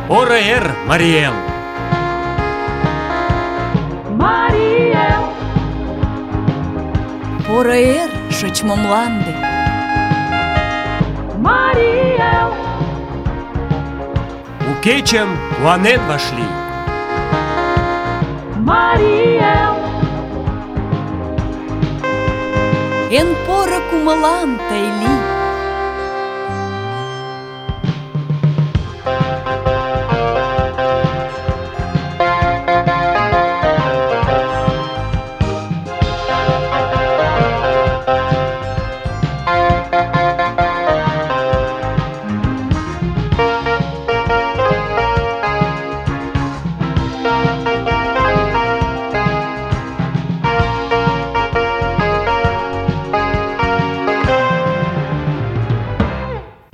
Поро эр, Марий Эл! Марий Эл! Поро эр, шочмо мланде! Марий Эл! У кечым куанен вашлий! Марий Эл! Эн поро кумылан тый лий!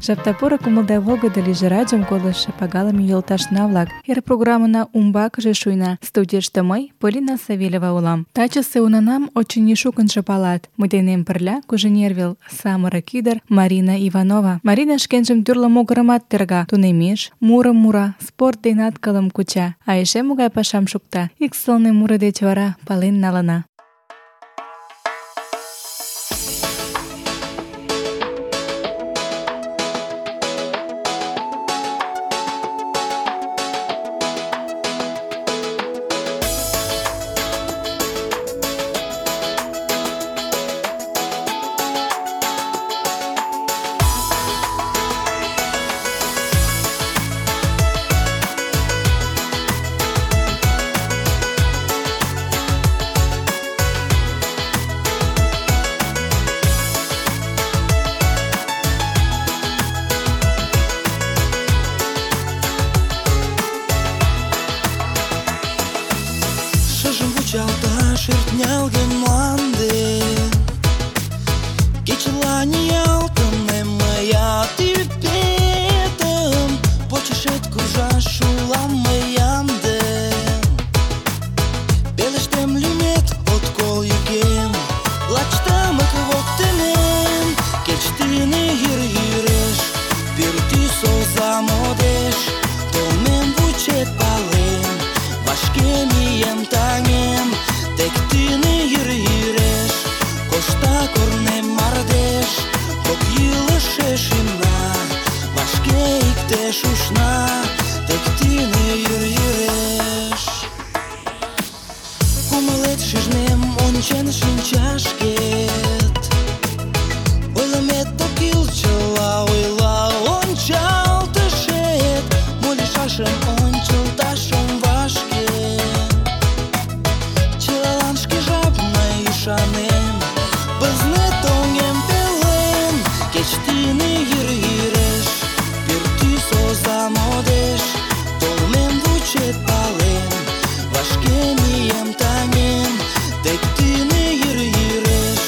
Жапта поро кумылда волгыдо лийже радиом колыштшо пагалыме йолташна-влак. Эр программына умбакыже шуйна. Студийыште мый, Полина Савельева улам. Тачысе унанам, очыни, шукынжо палат. Мый денем пырля Кужинервел самырык ӱдыр Марина Иванова. Марина шкенжым тӱрлӧ могырымат терга, тунемеш, мурым мура, спорт денат кылым куча. А эше могай пашам шукта, ик сылне муро деч вара пален налына. Шертнялген мланде, кечылан ялтыме мыят ӱпетым, почешет куржаш улам мый ямде. Пелештем лӱмет от кол йӱкем, лач тымык воктенем. Кеч тӱнӧ йӱр йӱреш, пӱртӱс оза модеш, толмем вучет палем, вашке мием таҥем. Тек тӱнӧ йӱр йӱреш, кошта корнем мардеж, кок йӱлышӧ шӱмна, вашке иктеш ушна. Тек тӱнӧ йӱр йӱреш. Кумылет шижнем ончен шинчашкет, ойлымет ок кӱл, чыла ойла ончалтышет. Мо лийшашым ончылташ ом вашке, ӱшанем, пызнет оҥем пелен. Кеч тӱнӧ йӱр йӱреш, пӱртӱс оза модеш, толмем вучет палем, вашке мием таҥем. Тек тӱнӧ йӱр йӱреш,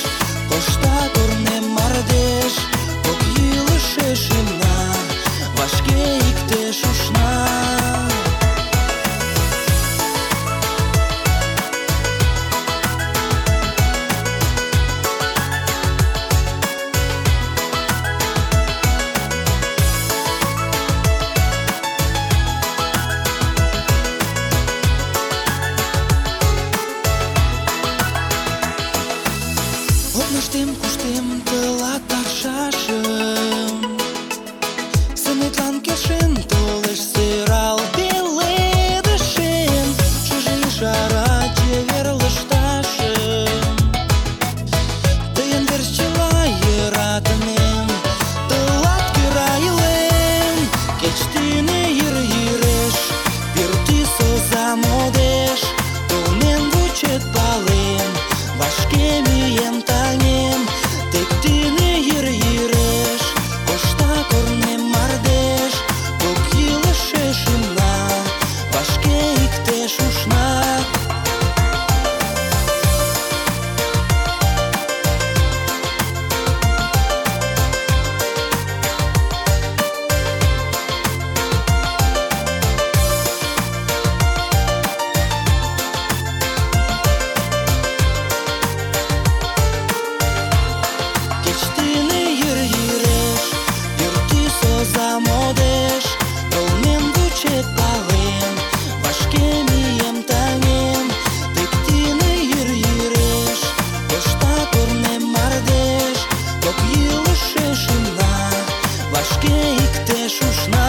пеш ушна,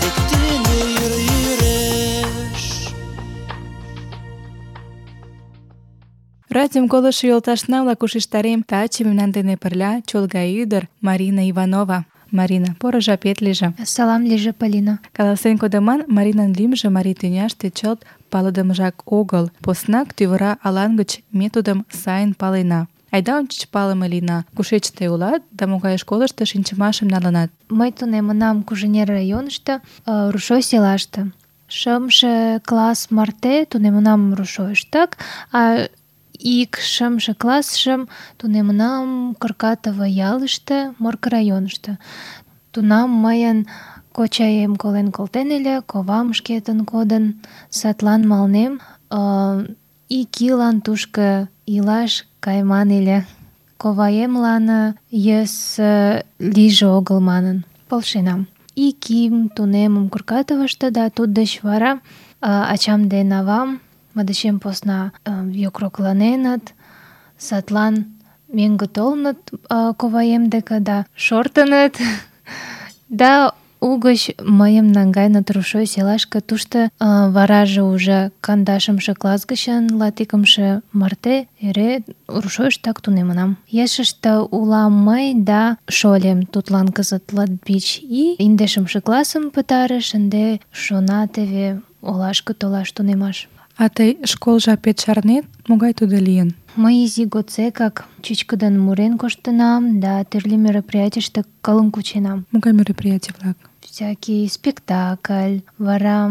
тек тӱнӧ йӱреш. Радиом колышо йолташна-влак ушештарем, таче мемнан дене пырля чолга ӱдыр Марина Иванова. Марина, поро жапет лийже. Салам лийже, Полина. Каласен кодыман, Маринан лӱмжӧ марий тӱняште чылт палыдымыжак огыл. Поснак тӱвыра алан гыч ме тудым сайын палена. Айда ончыч палыме лийна. Кушеч тый улат да могай школышто шинчымашым налынат? Мый тунемынам Куженер районышто, Рушой селаште. 5 класс марте тунемынам Рушойыштак, а ик 5 классшым тунемынам Кыркатово ялыште, Морко районышто. Тунам мыйын кочаем колен колтен ыле, ковам шкетын кодын, садлан малнем. Ик ийлан тушко илаш кайыман ыле. Коваемлан йӧсӧ лийже огыл манын полшенам. Ик ийым тунемым Кыркатовышто, да туддеч вара ачам ден авам мый дечем посна йокрокланеныт, садлан мӧҥгӧ толыныт коваем деке да шортыныт. Да угыч мыйым наҥгайыныт Рушой селашке. Тушто вараже уже 12 класс гычын 21 марте эре Рушойыштак тунемынам. Ешыште улам мый да шольым, тудлан кызыт 25 ий, 10 классым пытарыш, ынде шона теве олашке толаш тунемаш. А тый школ жапет шарнет? Могай тудо лийын? Мый изи годсекак чӱчкыдын мурен коштынам да тӱрлӧ мероприятийыште кылым кученам. Могай мероприятий-влак? Всякий спектакль, вара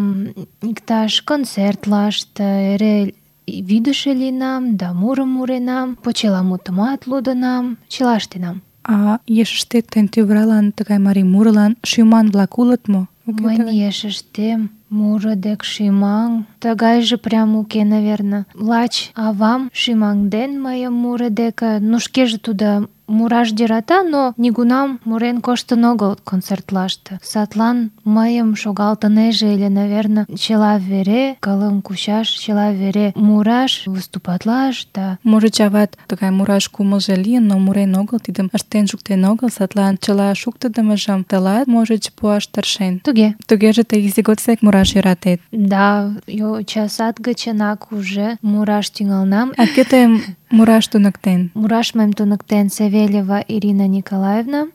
иктаж концертлаште эре вӱдышӧ лийынам да мурым муренам, почеламутымат лудынам, чыла ыштенам. А ешыштет тыйын тӱвыралан тыгай марий мурылан шӱман-влак улыт мо? Мыйын ешыштем муро дек шӱмаҥ тыгайже прям уке, наверно. Лач авам шӱмаҥден мыйым муро деке. Ну, шкеже тудо мураш йӧрата, но нигунам мурен коштын огыл концертлаште. Садлан мыйым шогалтынеже ыле, наверно, чыла вере кылым кучаш, чыла вере мураш, выступатлаш да... Можыч, ават тыгай мураш кумылжо лийын, но мурен огыл, тидым ыштен шуктен огыл, садлан чыла шуктыдымыжым тылат, можыч, пуаш тыршен. Туге. Тугеже тый изи годсек мураш йӧратет. Да, йочасад гычынак уже мураш тӱҥалнам. А кӧ тыйым мураш туныктен? Мураш мыйым туныктен Савельева Ирина Николаевна.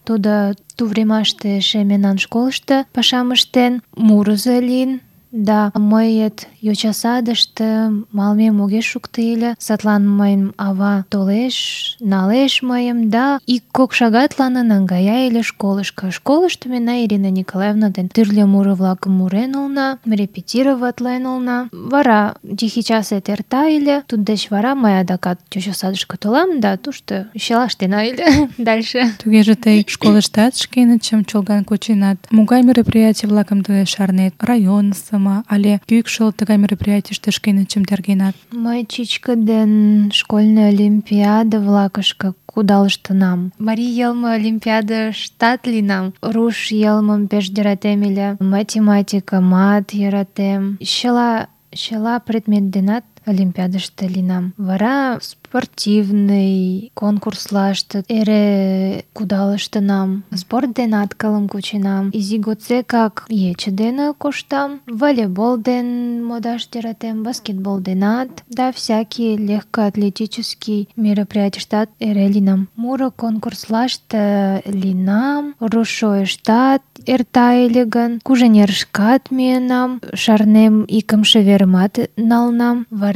Тудо тувремаште эше мемнан школышто пашам ыштен, мурызо лийын. Да, мыйет йочасадыште малымем огеш шукто ыле. Садлан мыйын ава толеш, налеш мыйым да 1-2 шагатлан наҥгая ыле школышко. Школышто мемнан Ирина Николаевна ден тӱрлӧ муро-влакым мурен улна, репетироватлен улна. Вара тихий часет эрта ыле. Туддеч вара мый адакат йочасадышке толам да тушто чыла ыштена ыле дальше. Тугеже тый школыштат шкенычым чолган кученат. Могай мероприятий-влакым тый шарнет? Районысо але кӱкшыл тыгай мероприятийыште шкенычым тергенат? Мый чӱчкыдын школьный олимпиада-влакышке кудалыштынам. Марий йылме олимпиадыштат лийынам. Руш йылмым пеш йӧратем ыле, математикымат йӧратем. Чыла предмет денат олимпиадыште лийынам. Вара спортивный конкурслаште эре кудалыштынам. Спорт денат кылым кученам. Изи годсекак ече дене коштам. Волейбол ден модаш йӧратем, баскетбол денат, да всякий легкоатлетический мероприятийыштат эре лийынам. Муро конкурслаште лийынам, Рушойыштат эрта ыле гын, Куженерышкат миенам, шарнем, 2-шы верымат налынам. Вара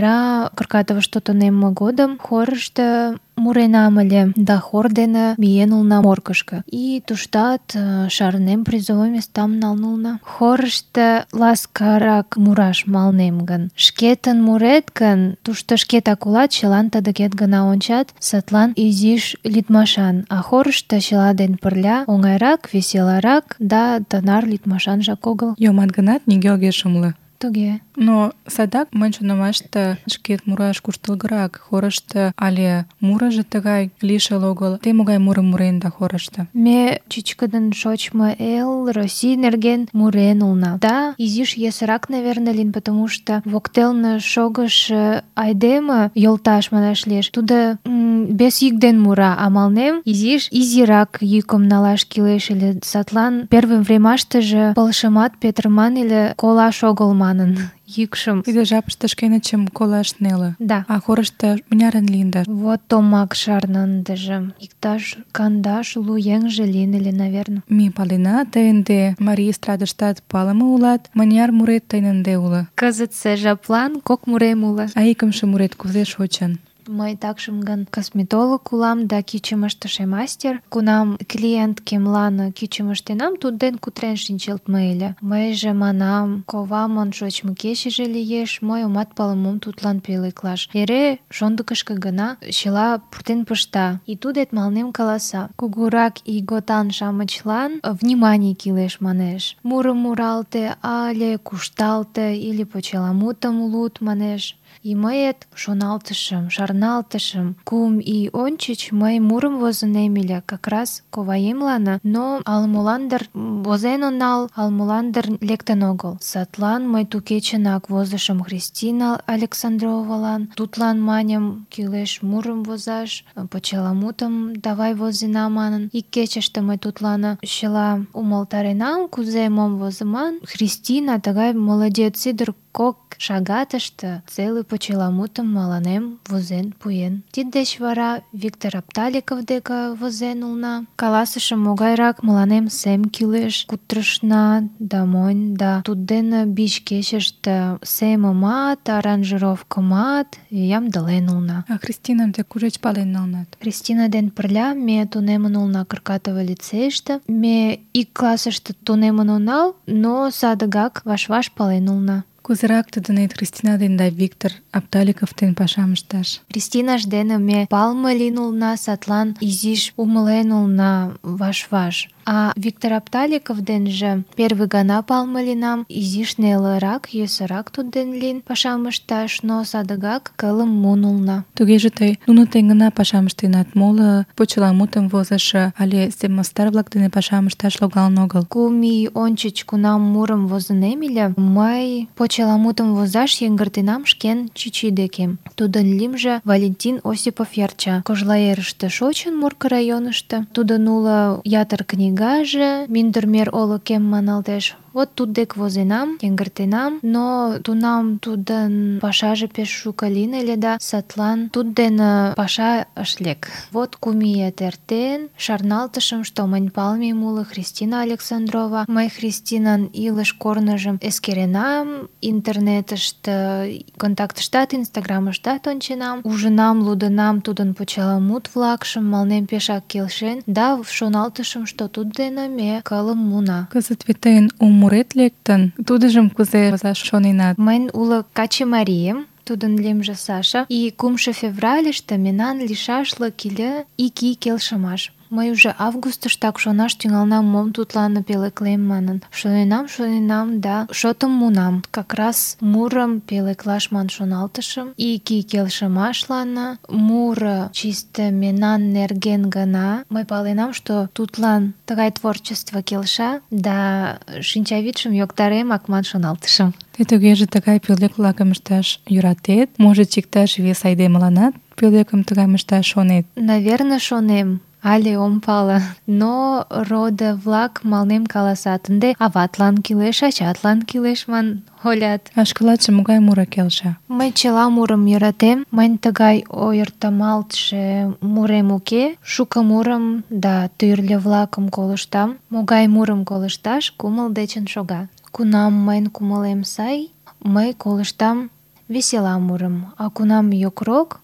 Кыркатовышто тунемме годым хорышто муренам ыле, да хор дене миен улна Моркышко. И туштат шарнем, призовой местам налын улна. Хорышто ласкарак мураш малнем гын, шкетын мурет гын, тушто шкетак улат, чылан тыдыкет гына ончат, садлан изиш лӱдмашан. А хорышто чыла ден пырля оҥайрак, веселарак, да тынар лӱдмашанжак огыл. Йомат гынат, нигӧ огеш умыло. Туге. Но садак мынь шонымаште шкет мураш куштылгырак хорышто але мурыжо тыгай лишыл огыл. Те могай мурым муренда хорышто? Ме чӱчкыдын шочмо эл, Россий нерген мурен улна. Да, изиш йӧсырак, наверное, лийын, потому что воктелне шогышо айдеме, йолташ манаш лиеш, тудо без йӱк ден мура, а мыланем изиш изирак йӱкым налаш кӱлеш ыле. Садлан первый времаштыже пылышымат петырыман ыле колаш огыл манын йӱкшым. Тиде жапыште шкенычым колаш неле. Да. А хорышто мынярын лийында? Вот томак шарна ындыже. Иктаж 50 еҥже лийын ыле, наверное. Ме палена, тый ынде марий эстрадыштат палыме улат. Мыняр мурет тыйын ынде уло? Кызытсе жаплан кок мурем уло. А икымше мурет кузе шочын? Мый такшым гын косметолог улам да кӱчым ыштыше мастер. Кунам клиенткемлан кӱчым ыштенам, тудден кутырен шинчылтме ыле. Мыйже манам, ковамын шочмо кечыже лиеш, мый омат пале мом тудлан пӧлеклаш. Эре шондыкышко гына чыла пуртен пышта. И тудет мыланем каласа: кугурак ийготан-шамычлан внимание кӱлеш, манеш. Мурым муралте але кушталте или почеламутым луд, манеш. И мыет шоналтышым, шарналтышым. 3 ий ончыч мый мурым возынем ыле, как раз коваемлан, но ала-молан дыр возен онал, ала-молан дыр лектын огыл. Садлан мый ту кечынак возышым Христина Александровалан. Тудлан маньым, кӱлеш мурым возаш, почеламутым давай возена манын. Ик кечыште мый тудлан чыла умылтаренам, кузе мом возыман. Христина тыгай молодец ӱдыр, 2 шагатыште целый почеламутым мыланем возен пуэн. Тиддеч вара Виктор Апталиков деке возен улна. Каласышым, могайрак мыланем сем кӱлеш. Кутырышна да монь, да туддене биш кечыште семымат, аранжировкымат ямдылен улна. А Христинам те кушеч пален налнат? Христина ден пырля ме тунемын улна Кыркатово лицейыште. Ме ик классыште тунемын онал, но садыгак ваш-ваш пален улна. Кузерак тудынет Христина ден да Виктор Апталиков ден пашам ышташ? Христинаж дене ме палыме лийын улна, садлан изиш умылен улна ваш-ваш. А Виктор Апталиков денже первый гана палыме лийынам, изиш нелырак, йӧсырак тудден лийын пашам ышташ, но садыгак кылым муын улна. Тугеже тый нуно дене гына пашам ыштенат, моло почеламутым возышо але семмастар-влак дене пашам ышташ логалын огыл? 3 ий ончыч, кунам мурым возынем ыле, мый почеламутым возаш йыҥгыртенам шкен чӱчӱ деке. Тудын лӱмжӧ Валентин Осипов Ярча. Кожлаерыште шочын, Мурко районышто. Тудын уло ятыр книгаже, Мӱндырмер олыкем маналтеш. Вот туддек возенам, йыҥгыртенам, но тунам тудын пашаже пеш шуко лийын ыле да садлан тудден паша ыш лек. Вот 3 ият эртен, шарналтышым, что мынь палымем уло Христина Александрова. Мый Христинан илыш корныжым эскеренам, интернетыште, контактыштат, инстаграмыштат онченам, ужынам, лудынам тудын почеламут-влакшым, мыланем пешак келшен, да шоналтышым, что туддене ме кылым муына. Кызыт вет тыйын мурет лектын, тудыжым кузе возаш шоненат? Мыйын уло каче марием, тудын лӱмжӧ Саша, и 3 февральыште мемнан лишашлык ыле 2 ий келшымаш. Мый уже августыштак шонаш тӱҥалнам, мом тудлан пӧлеклем манын. Шоненам да шотым муынам. Как раз мурым пӧлеклаш ман шоналтышым. 2 ий келшымашлан муро чисто мемнан нерген гына. Мый паленам, что тудлан тыгай творчество келша, да шинчавӱдшым йоктаремак ман шоналтышым. Те тугеже тыгай пӧлек-влакым ышташ йӧратет? Можыч, иктаж вес айдемыланат пӧлекым тыгайым ышташ шонет? Наверное, шонем. Але ом пале. Но родо-влак мыланем каласат: ынде аватлан кӱлеш, ачатлан кӱлеш ман ойлат. А шкалатше могай муро келша? Мый чыла мурым йӧратем. Мынь тыгай ойыртемалтше мурем уке. Шуко мурым да тӱрлӧ-влакым колыштам. Могай мурым колышташ кумыл дечын шога. Кунам мыйын кумылем сай, мый колыштам весела мурым, а кунам йокрок,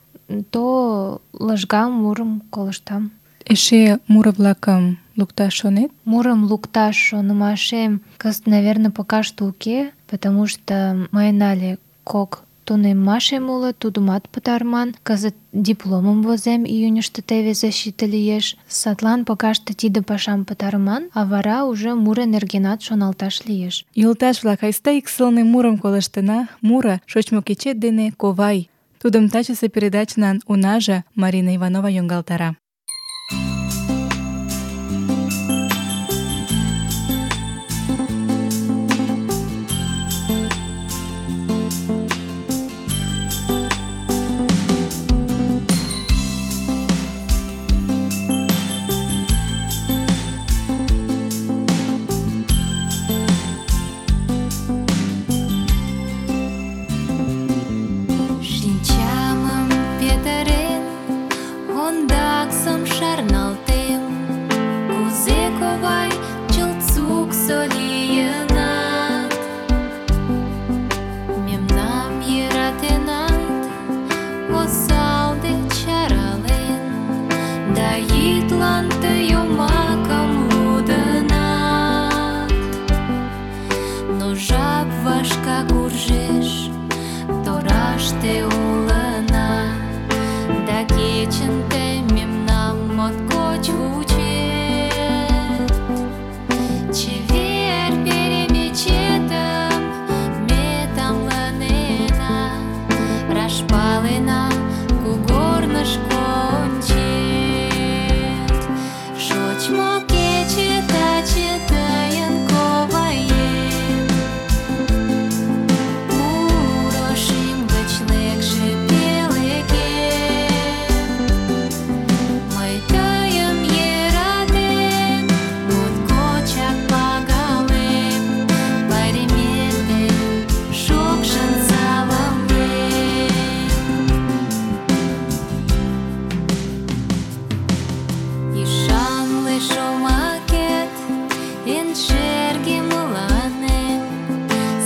то лыжга мурым колыштам. Эше муро-влакым лукташ шонет? Мурым лукташ шонымашем кызыт, наверное, пока что уке, потому что мыйын але 2 тунеммашем уло, тудымат пытарыман. Кызыт дипломым возем, июньышто теве защита лиеш. Садлан погаште тиде пашам пытарыман, а вара уже муро нергенат шоналташ лиеш. Йолташ-влак, айста ик сылне мурым колыштына. Муро «Шочмо кечет дене, ковай». Тудым тачысе передачнан унаже Марина Иванова йоҥгалтара. Шинчамым петырен, ондаксым шарналтем, кузе ковай чылт суксо лийынат. Мемнам йӧратенат, осал деч арален, да йӱдлан тый йомакым лудынат. Но жап вашка куржеш, тораште улына, да кечын тый мемнам моткоч вучет. Чевер перемечетым ме тамлынена, раш палена, кугорнышко ончет. Шочмо кече таче тыйын, коваем, муро шӱм гыч лекше пелегем. Мый тыйым йӧратем, моткочак пагалем, пайремет ден шокшын саламлем. Ӱшанле шомакет эн шерге мыланем,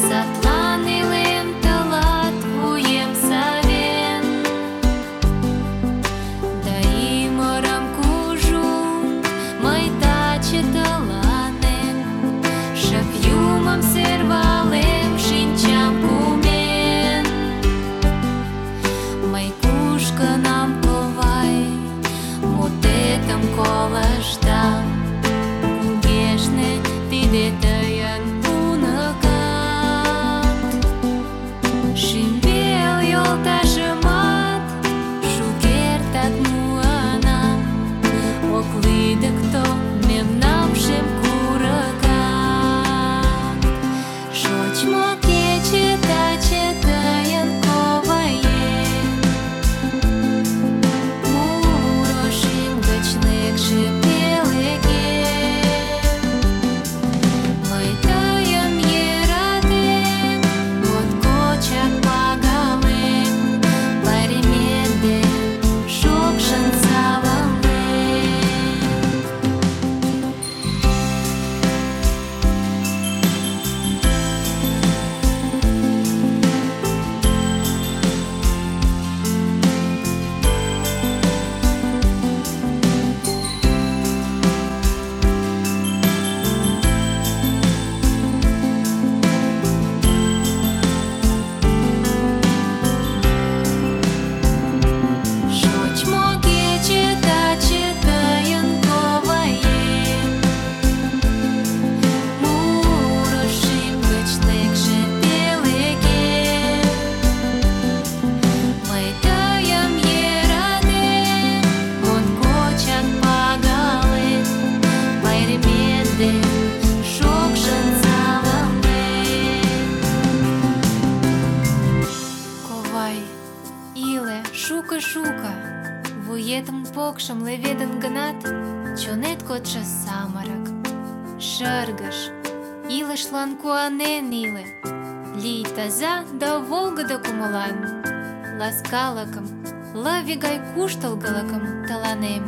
садлан илем тылат вуем савен. Да ӱмырым кужун мый таче тыланем, шып юмым сӧрвалем, шинчам кумен. Мый кушкынам, ковай, мутетым колыштам, кугешне тиде тыйын уныкат. Шӱмбел йолташымат шукертак муынам, ок лӱдыктӧ мемнам шем курыкат. Шочмо кече таче тыйын, коваем, муро шӱм гыч лекше пелегем. Мый тыйым йӧратем, моткочак пагалем, пайремет ден шокшын саламлем. Шочмо кече таче тыйын, коваем, муро шӱм гыч лекше пелегем. Мый тыйым йӧратем, моткочак пагалем, пайремет ден шокшын саламлем. Ковай, иле шуко-шуко, вуетым покшым леведын гынат, чонет кодшо самырык. Шыргыж, илышлан куанен иле, лий таза да волгыдо кумылан. Ласкалыкым, лыве гай куштылгылыкым тыланем.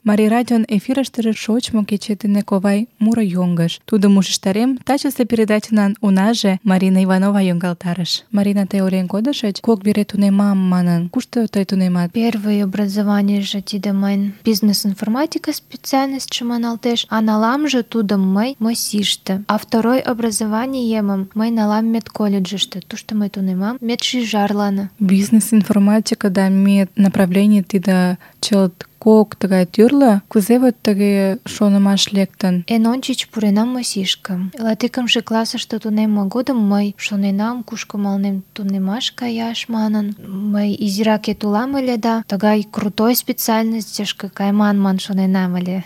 Марий радион эфирыштыже шочмо кечет дене ковай муро йоҥгыш. Тудым ушештарем, тачысе передачынан унаже Марина Иванова йоҥгалтарыш. Марина, тый ойлен кодышыч, кок вере тунемам манын. Кушто тый тунемат? Первое образованийже тиде мыйын бизнес-информатика специальностьше маналтеш, а наламже тудым мый МОСИште. А второй образованиемым мый налам медколледжыште. Тушто мый тунемам медшӱжарлан. Бизнес-информатика да мед направлений тиде чылт кок тыгай тӱрлӧ. Кузе вот тыге шонымаш лектын? Эн ончыч пуренам МОСИшке. Латикымше классыште тунемме годым мый шоненам, кушко малнем тунемаш каяш манын. Мый изиракет улам ыле да тыгай крутой специальностьышке кайман ман шоненам ыле.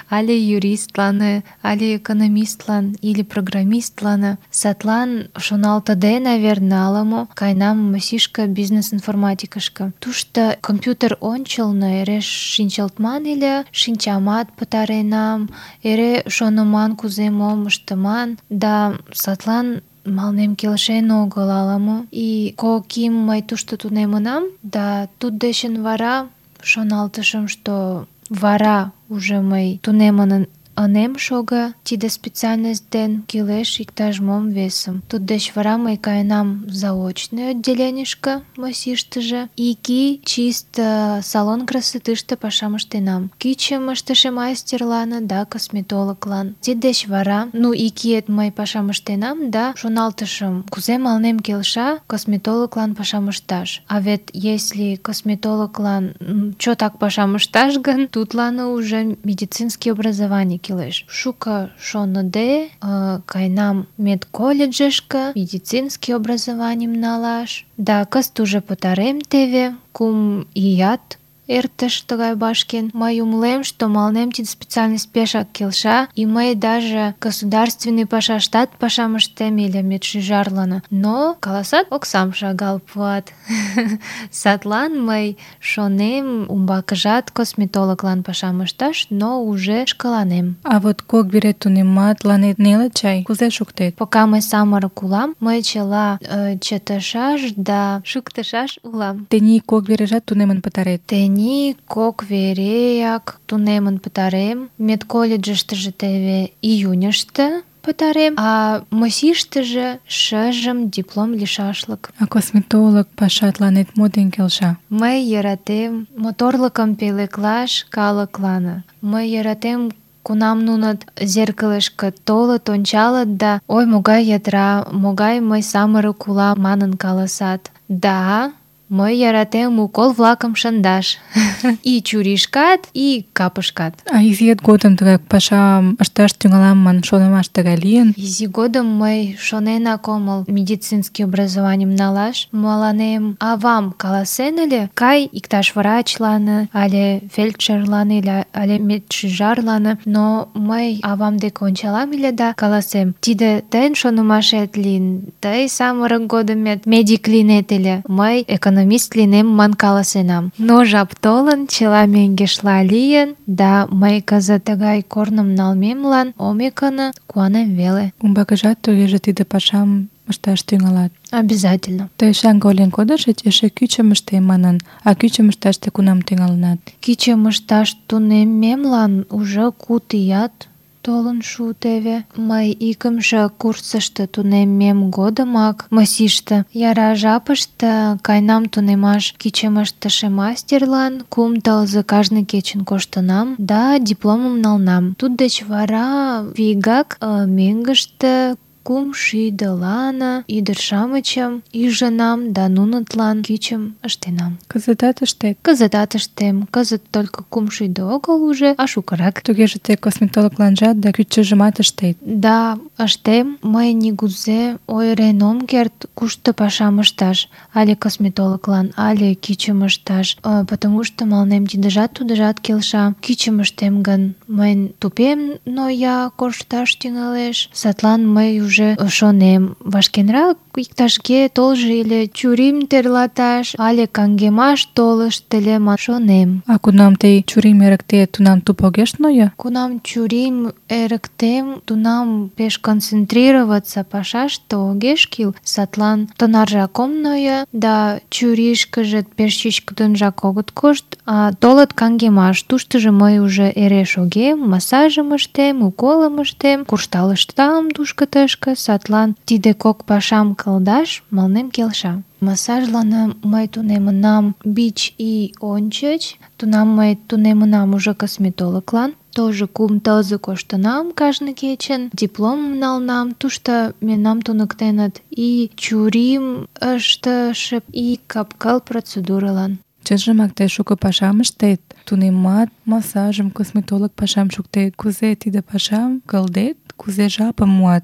Але юристлан, але экономистлан, или программистлан. Садлан шоналтыде, наверное, ала-мо кайнам МОСИшке бизнес-информатикышке. Тушто компьютер ончылно эре шинчылтман ыле, шинчамат пытаренам, эре шоныман кузе мом ыштыман, да садлан малнем келшен огыл ала-мо. И кок ий мый тушто тунемынам, да туддечын вара шоналтышым, что вара уже мый тунемын ынем шого тиде специальность ден, кӱлеш иктаж-мом весым. Туддеч вара мый каенам заочный отделенийышке МОСИштыже. Ик ий чисто салон красотыште пашам ыштенам. Кӱчым ыштыше мастерлан да косметологлан. Тиддеч вара, ик иет мый пашам ыштенам да шоналтышым, кузе малнем келша косметологлан пашам ышташ. А вет если косметологлан чотак пашам ышташ гын, тудлан уже медицинский образование кӱлеш. Шуко шоныде, кайнам медколледжышке медицинский образованийым налаш. Да кызыт уже пытарем теве, 3 ият эртыш тыгай башкен. Мый умылем, что малнем тиде специальность пешак келша, и мый даже государственный пашаштат пашам ыштем ыле медшӱжарлан. Но каласат, оксам шагал пуат. Садлан мый шонем умбакыжат косметологлан пашам ышташ, но уже шкаланем. А вот кок вере тунемат, ланет неле чай? Кузе шуктет? Пока мый самырык улам, мый чыла чытышаш да шуктышаш улам. Тений кок вережат тунемын пытарет? Тений кок вереяк тунемын пытарем. Медколледжыштыже теве июньыште пытарем, а МОСИштыже шыжым диплом лишашлык. А косметолог пашатланет мо ден келша? Мый йӧратем моторлыкым пӧлеклаш калыклан. Мый йӧратем, кунам нунат зеркалышке толыт, ончалыт да «Ой, могай ядра, могай мый самырык улам» манын каласат. Да, мый йӧратем укол-влакым шындаш. И чуришкат, и капышкат. А изиет годым тыгай пашам ышташ тӱҥалам ман шонымаш тыгай лийын? Изи годым мый шоненак омыл медицинский образованийым налаш. Мыланем авам каласен ыле: кай иктаж врачлан, але фельдшерлан, але медшӱжарлан. Но мый авам дек ончалам ыле да каласем: тиде тыйын шонымашет лийын, тый самырык годымет медик лийнет ыле, мый экономист лийнем ман каласенам. Но жап толын, чыла мӧҥгешла лийын, да мый кызыт тыгай корным налмемлан омекын куанем веле. Умбакыжат тугеже тиде пашам ышташ тӱҥалат? Обязательно. Тый шаҥге ойлен кодышыч, эше кӱчым ыштем манын. А кӱчым ышташ тый кунам тӱҥалынат? Кӱчым ышташ тунеммемлан уже 5 ият толын шу теве. Мый икымше курсышто тунеммем годымак МОСИште яра жапыште кайнам тунемаш кӱчым ыштыше мастерлан. 3 тылзе кажне кечын коштынам да дипломым налнам. Туддеч вара вигак мӧҥгыштӧ 300-лан ӱдыр-шамычым ӱжынам да нунытлан кӱчым ыштенам. Кызытат ыштет? Кызытат ыштем. Кызыт только 300 огыл уже, а шукырак. Тугеже тый косметологланжат да кӱчыжымат ыштет? Да, ыштем. Мый нигузе ойырен ом керт, кушто пашам ышташ. Але косметологлан, але кӱчым ышташ. Потому что малнем тидыжат тудыжат келша. Кӱчым ыштем гын, мыйын тупем ноя, коршташ тӱҥалеш. Садлан мый уже шонем, вашкенрак иктажге толжо или чурим тӧрлаташ, але каҥгемаш толышт ыле ман шонем. А кунам тый чурим эрыктет, тунам туп огеш нойо? Кунам чурим эрыктем, тунам пеш концентрироваться пашаште огеш кӱл, садлан тынаржак ом нойо, да чуришкыже пеш чӱчкыдынжак огыт кошт, а толыт каҥгемаш. Туштыжо мый уже эре шогем, массажым ыштем, уколым ыштем, куржталыштам тушко-тышко, садлан тиде кок пашам кылдаш мыланем келша. Массажлан мый тунемынам бич ий ончыч, тунам мый тунемынам уже косметологлан, тоже 2 тылзе коштынам кажне кечын, дипломым налынам, тушто мемнам туныктеныт и чурим ыштыше, и кап-кыл процедурылан. Чынжымак тый шуко пашам ыштет, тунемат, массажым, косметолог пашам шуктет. Кузе тиде пашам кылдет, кузе жапым муат?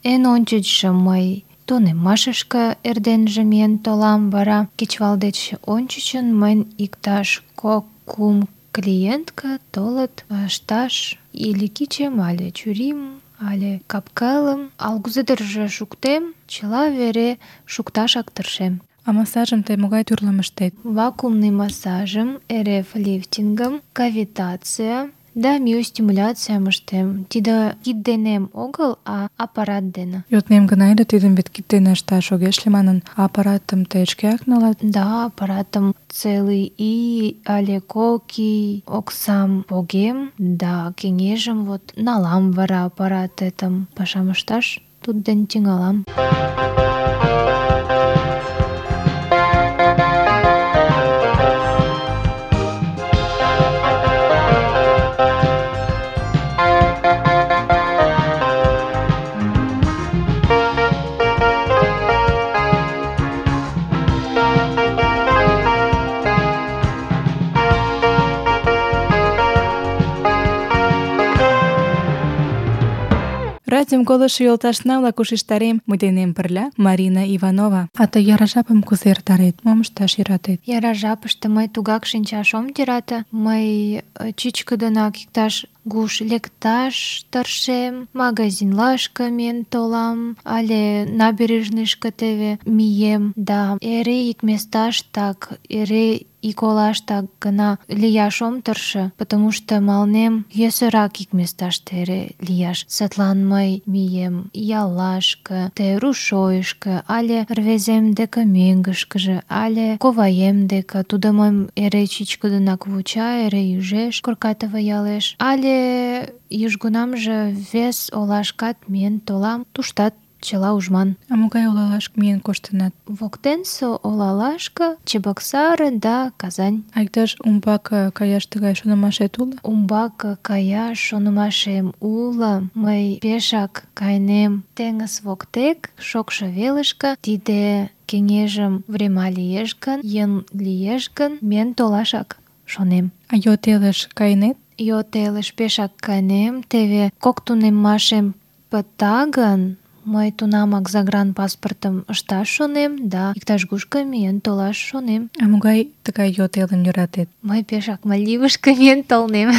Эн ончычшо мый тунемашышке эрденже миен толам, вара кечывал деч ончычын мыйын иктаж 2-3 клиентка толыт ышташ или кичем, але чурим, але кап-кылым. Ала-кузедырже шуктем, чыла вере шукташак тыршем. А массажым тый могай тӱрлым ыштет? Вакуумный массажым, РФ-лифтингым, кавитация да миостимуляцийым ыштем. Тиде кид денем огыл, а аппарат дене. Йоднем гына ыле, тидым вет кид дене ышташ огеш лий манын, а аппаратым тый шкеак налат? Да, аппаратым целый ий але 2 ий оксам погем, да кеҥежым вот налам вара аппаратетым пашам ышташ, тудден тӱҥалам. Радиом колышо йолташна-влак ушештарем, мый денем пырля Марина Иванова. А тый яра жапым кузе эртарет? Мом ышташ йӧратет? Яра жапыште мый тугак шинчаш ом йӧрате. Мый чӱчкыдынак иктаж гуш лекташ тыршем, магазинлашке миен толам, але набережныйышке теве мием, да эре ик месташтак, эре ик олаштак гына лияш ом тырше, потому что мыланем йӧсырак ик месташте эре лияш. Садлан мый мием яллашке, те рушойышко, але рвезем деке мӧҥгышкыжӧ, але коваем деке. Тудо мыйым эре чӱчкыдынак вуча, эре ӱжеш Коркатово ялеш, але южгунамже вес олашкат миен толам, туштат чыла ужман. А могай олалашке миен коштынат? Воктенсе олалашке Чебоксары да Казань. А иктаж умбак каяш тыгай шонымашет уло? Умбак каяш шонымашем уло. Мый пешак кайнем теҥыз воктек, шокшо велышке. Тиде кеҥежым врема лиеш гын, йӧн лиеш гын, миен толашак шонем. А йот элыш кайнет? Йот элыш пешак кайнем. Теве 2 тунемашем пыта гын, мый тунамак загранпаспортым ышташ шонем, да иктаж-кушко миен толаш шонем. А могай тыгай йот элым йӧратет? Мый пешак Мальдивышке миен толнем.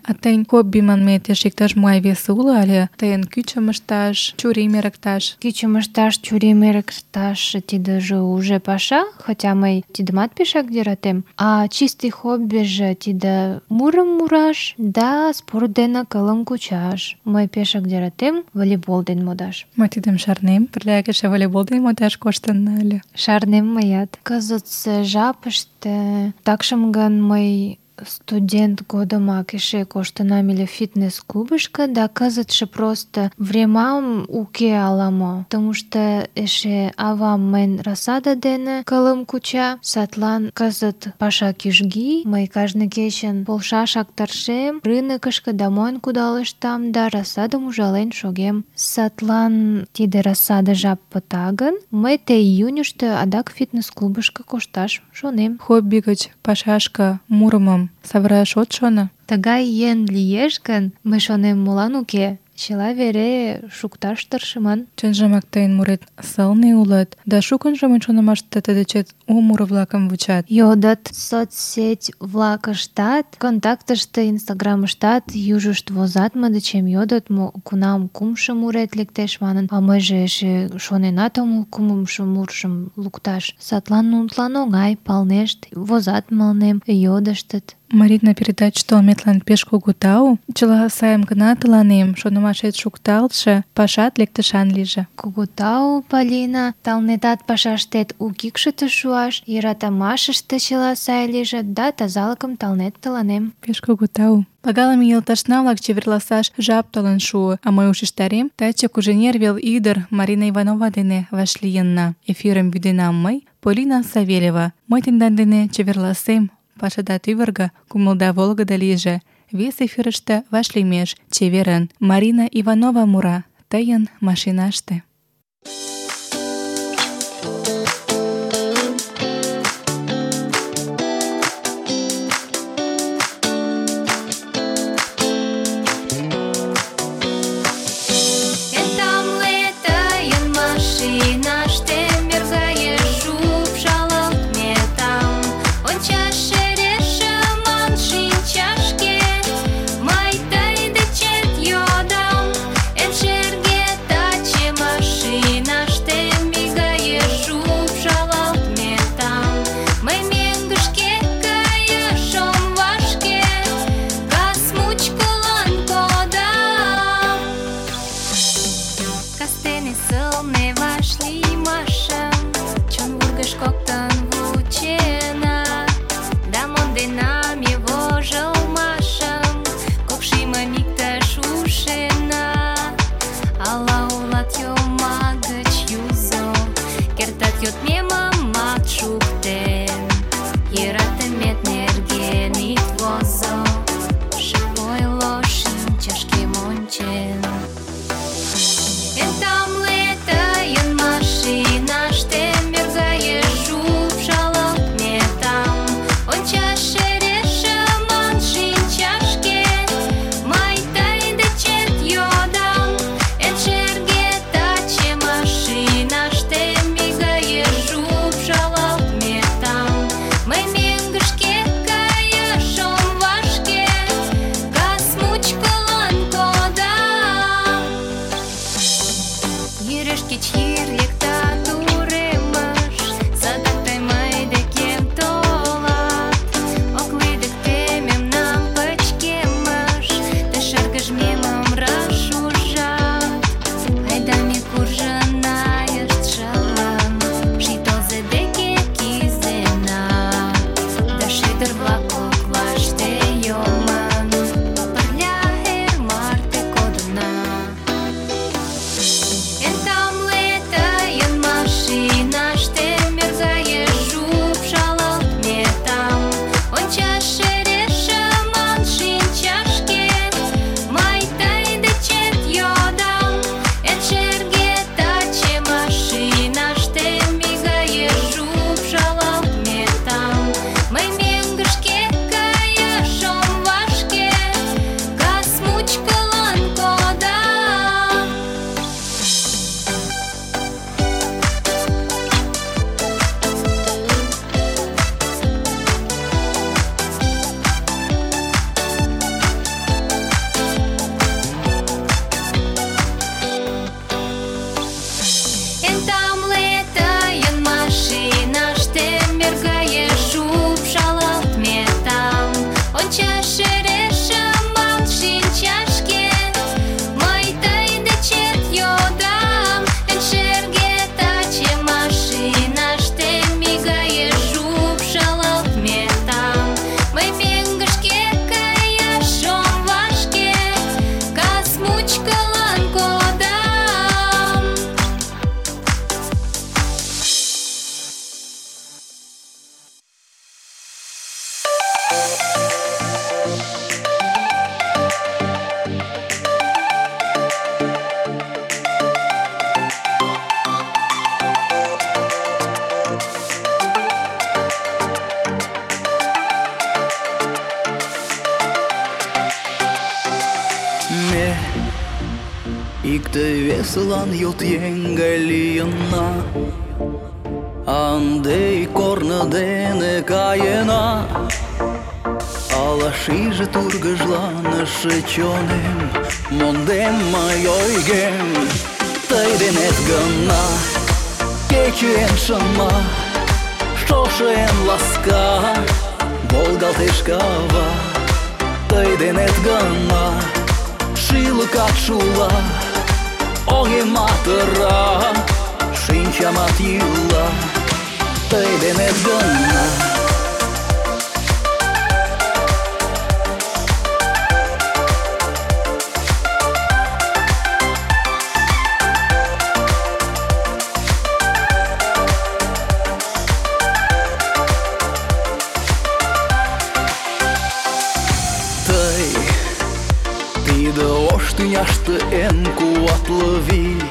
А тыйын хобби манмет эше иктаж-могай весе уло, але тыйын кӱчым ышташ, чурим эрыкташ? Кӱчым ышташ, чурим эрыкташ — тидыже уже паша, хотя мый тидымат пешак йӧратем. А чистый хоббиже тиде мурым мураш да спорт дене кылым кучаш. Мый пешак йӧратем волейбол дене модаш. Мый тидым шарнем, пырляк эше волейбол дене модаш коштынна ыле. Шарнем мыят. Кызытсе жапыште такшым гын мый студент годымак эше коштынам ыле фитнес-клубышко, да кызытше просто времам уке ала-мо. Потому что эше авам мыйын рассада дене кылым куча, садлан кызыт паша кӱжги. Мый кажне кечын полшашак тыршем, рынокышко да монь кудалыштам, да рассадым ужален шогем. Садлан тиде рассада жап пыта гын, мый те июньышто адак фитнес-клубышко кошташ шонем. Хобби гыч пашашке мурымым савыраш от шоно? Тыгай йӧн лиеш гын, мый шонем, молан уке? чыла вере шукташ тыршыман. Чынжымак тыйын мурет сылне улыт, да шукынжо мый шонымаште тый дечет у муро-влакым вучат. Йодыт соцсеть-влакыштат, контактыште, инстаграмыштат южышт возат мый дечем, йодыт, кунам кумшо мурет лектеш манын, а мыйже эше шоненат омыл кумшо муржым лукташ. Садлан нунылан оҥай, палнешт, возат мыланем, йодыштыт. Марина, передаче толметлан пеш кугу тау. Чыла сайым гына тыланем, шонымашет шукталтше, пашат лектышан лийже. Кугу тау, Полина, талнетат пашаштет у кӱкшытӧ шуаш, йӧратымашыште чыла сай лийже, да тазалыкым талнет тыланем. Пеш кугу тау. Пагалыме йолташна-влак, чеверласаш жап толын шуо, а мый ушештарем, таче Куженер вел ӱдыр Марина Иванова дене вашлийынна. Эфирым вӱденам мый, Полина Савельева. Мый тендан дене чеверласем. Пашада тӱвыргӧ, кумылда волгыдо лийже. Вес эфирыште вашлиймеш. Чеверын. Марина Иванова мура тыйын машинаште. Икте-весылан йот еҥ гай лийына, ынде корно дене каена. Ала шиже тургыжланыше чонем, мондем мый ойгем. Тый денет гына кече эн шыма, шошо эн ласка, волгалтеш кава. Тый денет гына шӱлыкат шула, оҥемат ыра, шинчамат йӱла. Тый денет гына тиде ош тӱняште эн куатле вий,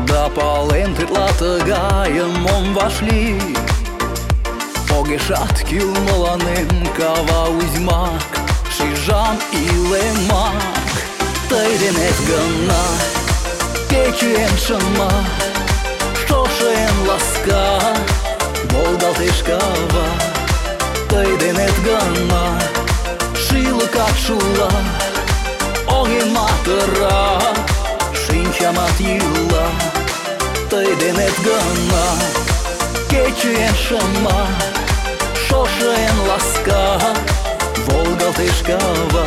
да палем тетла тыгайым ом вашлий. Огешат кӱл мыланем кава узьмак, шижам илемак. Тый денет гына кече эн шыма, шошо эн ласка, волгалтеш кава. Тый денет гына шӱлыкат шула, оҥемат ыра, шинчамат йӱла. Тый денет гына кече эн шыма, шошо эн ласка, волгалтеш кава.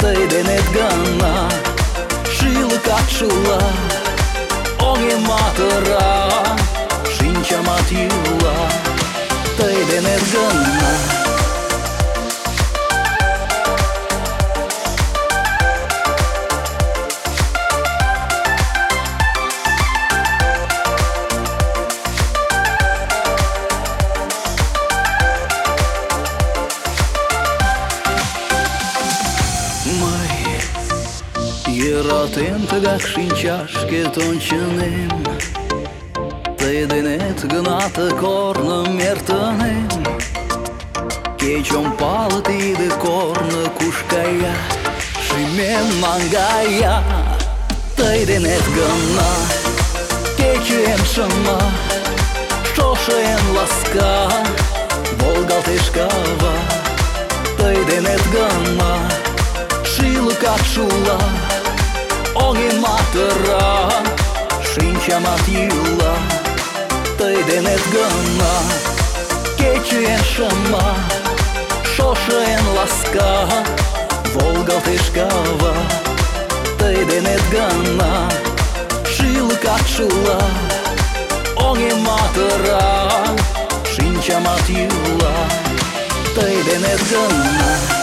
Тый денет гына шӱлыкат шула, оҥемат ыра, шинчамат йӱла. Тый денет гына йӧратем тыгак шинчашкет ончынем. Тый денет гына ты корным эртынем. Кеч ом пале тиде корно куш кая, шӱмем наҥгая. Тый денет гына кече эн шыма, шошо эн ласка, волгалтеш кава. Тый денет гына шӱлыкат шула, оҥемат ыра, шинчамат йӱла. Тый денет гына кече эн шыма, шошо эн ласка, волгалтеш кава. Тый денет гына шӱлыкат шула, оҥемат ыра, шинчамат йӱла. Тый денет гына